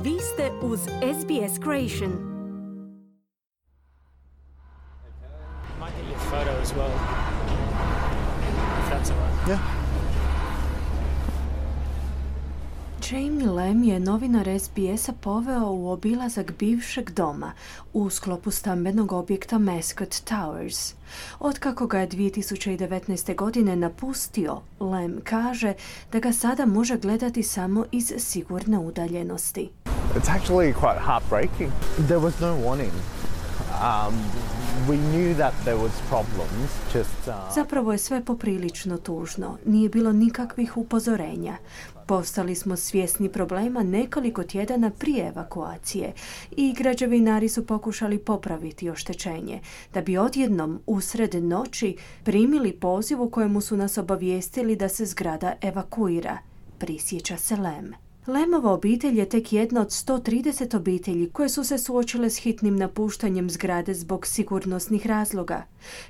Vi ste uz SBS Creation. Might get your photo as well, if that's all right. Yeah. Jamie Lam je novinar SBS-a poveo u obilazak bivšeg doma u sklopu stambenog objekta Mascot Towers. Otkako ga je 2019. godine napustio, Lam kaže da ga sada može gledati samo iz sigurne udaljenosti. It's actually quite heartbreaking. There was no warning. We knew that there was problems, Zapravo je sve poprilično tužno. Nije bilo nikakvih upozorenja. Postali smo svjesni problema nekoliko tjedana prije evakuacije i građevinari su pokušali popraviti oštećenje, da bi odjednom usred noći primili poziv u kojemu su nas obavijestili da se zgrada evakuira, prisjeća se Lam. Lamova obitelj je tek jedna od 130 obitelji koje su se suočile s hitnim napuštanjem zgrade zbog sigurnosnih razloga.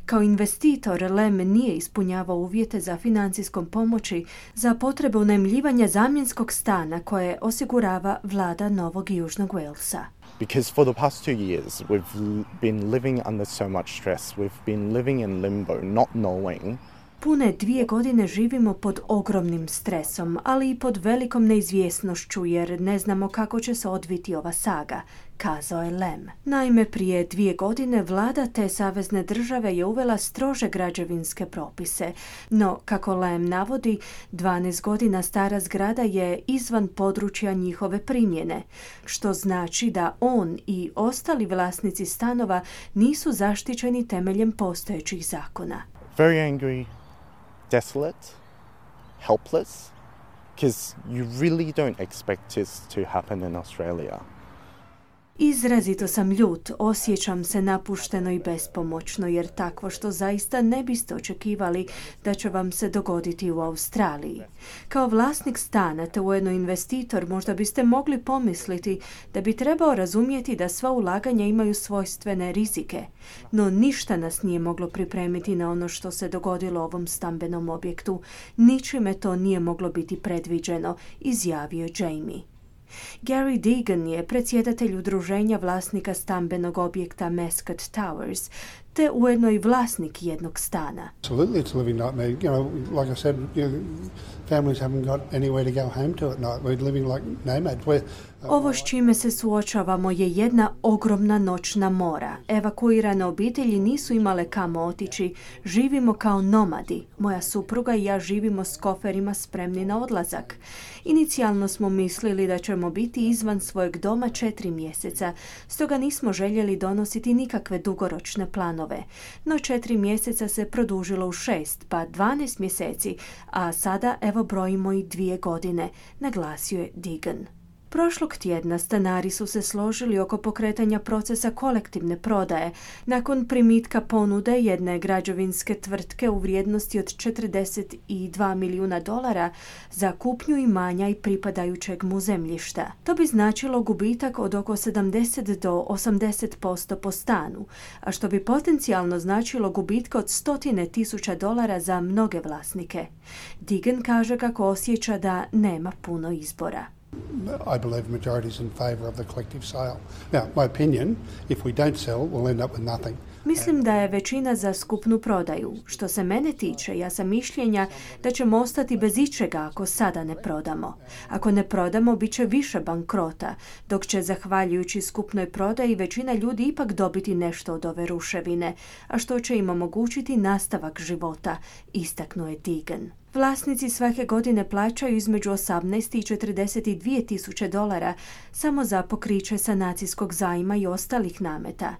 Kao investitor, Lam nije ispunjavao uvjete za financijskom pomoći za potrebe unajmljivanja zamjenskog stana koje osigurava vlada Novog Južnog Walesa. because for the past 2 years we've been living under so much stress. We've been living in limbo, not knowing. Pune 2 godine živimo pod ogromnim stresom, ali i pod velikom neizvjesnošću jer ne znamo kako će se odviti ova saga, kazao je Lam. Naime, prije 2 godine vlada te savezne države je uvela strože građevinske propise, no, kako Lam navodi, 12 godina stara zgrada je izvan područja njihove primjene, što znači da on i ostali vlasnici stanova nisu zaštićeni temeljem postojećih zakona. Very angry, desolate, helpless, because you really don't expect this to happen in Australia. Izrazito sam ljut, osjećam se napušteno i bespomoćno jer takvo što zaista ne biste očekivali da će vam se dogoditi u Australiji. Kao vlasnik stana te ujedno investitor možda biste mogli pomisliti da bi trebao razumjeti da sva ulaganja imaju svojstvene rizike, no ništa nas nije moglo pripremiti na ono što se dogodilo ovom stambenom objektu. Ničime to nije moglo biti predviđeno, izjavio je Jamie. Gary Deegan je predsjedatelj udruženja vlasnika stambenog objekta Mascot Towers, te ujedno i vlasnik jednog stana. Absolutely, it's a living nightmare. You know, like I said, families haven't got anywhere to go home to at night. We're living like nomads. Ovo s čime se suočavamo je jedna ogromna noćna mora. Evakuirane obitelji nisu imale kamo otići. Živimo kao nomadi. Moja supruga i ja živimo s koferima spremni na odlazak. Inicijalno smo mislili da ćemo biti izvan svojeg doma 4 mjeseca, stoga nismo željeli donositi nikakve dugoročne planove. No 4 mjeseca se produžilo u 6, pa 12 mjeseci, a sada evo brojimo i 2 godine, naglasio je Deegan. Prošlog tjedna stanari su se složili oko pokretanja procesa kolektivne prodaje nakon primitka ponude jedne građevinske tvrtke u vrijednosti od $42 milijuna za kupnju imanja i pripadajućeg mu zemljišta. To bi značilo gubitak od oko 70 do 80% po stanu, a što bi potencijalno značilo gubitka od $100,000 za mnoge vlasnike. Deegan kaže kako osjeća da nema puno izbora. I believe the majority is in favour of the collective sale. Now, my opinion, if we don't sell, we'll end up with nothing. Mislim da je većina za skupnu prodaju. Što se mene tiče, ja sam mišljenja da ćemo ostati bez ičega ako sada ne prodamo. Ako ne prodamo, bit će više bankrota, dok će, zahvaljujući skupnoj prodaji, većina ljudi ipak dobiti nešto od ove ruševine, a što će im omogućiti nastavak života, istaknuo je Deegan. Vlasnici svake godine plaćaju između $18,000 i $42,000 samo za pokriće sanacijskog zajma i ostalih nameta.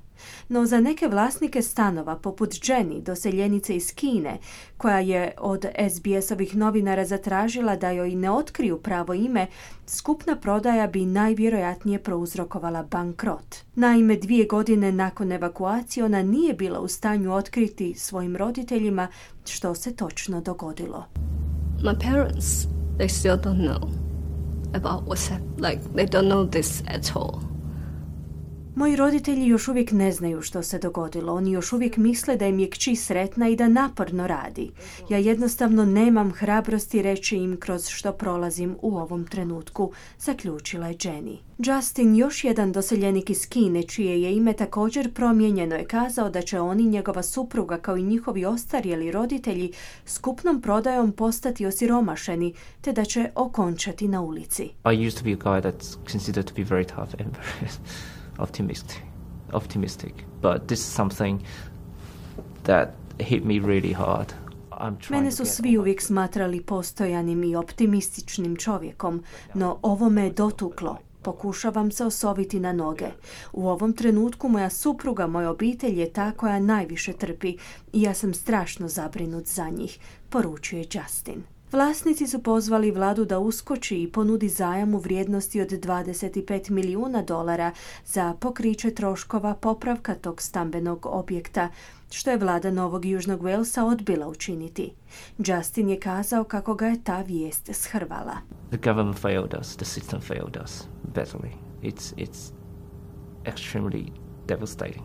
No za neke vlasnike stanova, poput Jenny, doseljenice iz Kine, koja je od SBS-ovih novinara zatražila da joj ne otkriju pravo ime, skupna prodaja bi najvjerojatnije prouzrokovala bankrot. Naime, 2 godine nakon evakuacije ona nije bila u stanju otkriti svojim roditeljima što se točno dogodilo. My parents, they still don't know about what's happened. Like, they don't know this at all. Moji roditelji još uvijek ne znaju što se dogodilo. Oni još uvijek misle da im je kći sretna i da naporno radi. Ja jednostavno nemam hrabrosti reći im kroz što prolazim u ovom trenutku, zaključila je Jenny. Justin, još jedan doseljenik iz Kine, čije je ime također promijenjeno, je kazao da će on i njegova supruga kao i njihovi ostarjeli roditelji skupnom prodajom postati osiromašeni, te da će okončati na ulici. I used to be a guy that's considered to be very tough and very optimistic, but this is something that hit me really hard. Mene su svi uvijek smatrali postojanim i optimističnim čovjekom, no ovo me je dotuklo. Pokušavam se osoviti na noge. U ovom trenutku moja supruga, moja obitelj je ta koja najviše trpi i ja sam strašno zabrinut za njih, poručuje Justin. Vlasnici su pozvali vladu da uskoči i ponudi zajam u vrijednosti od $25 milijuna za pokriće troškova popravka tog stambenog objekta, što je vlada Novog Južnog Walesa odbila učiniti. Justin je kazao kako ga je ta vijest shrvala. The government failed us, the system failed us badly. It's extremely devastating.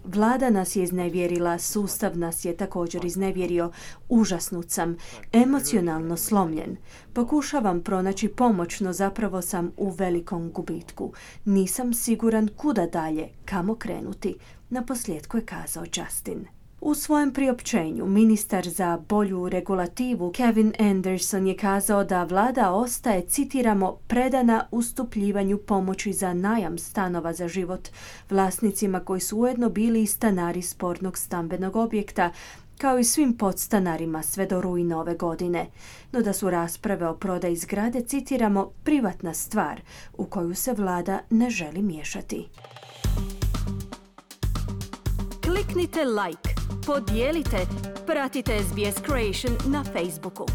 Vlada nas je iznevjerila, sustav nas je također iznevjerio. Užasnut sam, emocionalno slomljen. Pokušavam pronaći pomoć, no zapravo sam u velikom gubitku. Nisam siguran kuda dalje, kamo krenuti, naposljetku je kazao Justin. U svojem priopćenju ministar za bolju regulativu Kevin Anderson je kazao da vlada ostaje, citiramo, predana ustupljivanju pomoći za najam stanova za život vlasnicima koji su ujedno bili i stanari spornog stambenog objekta, kao i svim podstanarima sve do rujna ove godine, no da su rasprave o prodaji zgrade, citiramo, privatna stvar u koju se vlada ne želi miješati. Kliknite like, podijelite, pratite SBS Creation na Facebooku.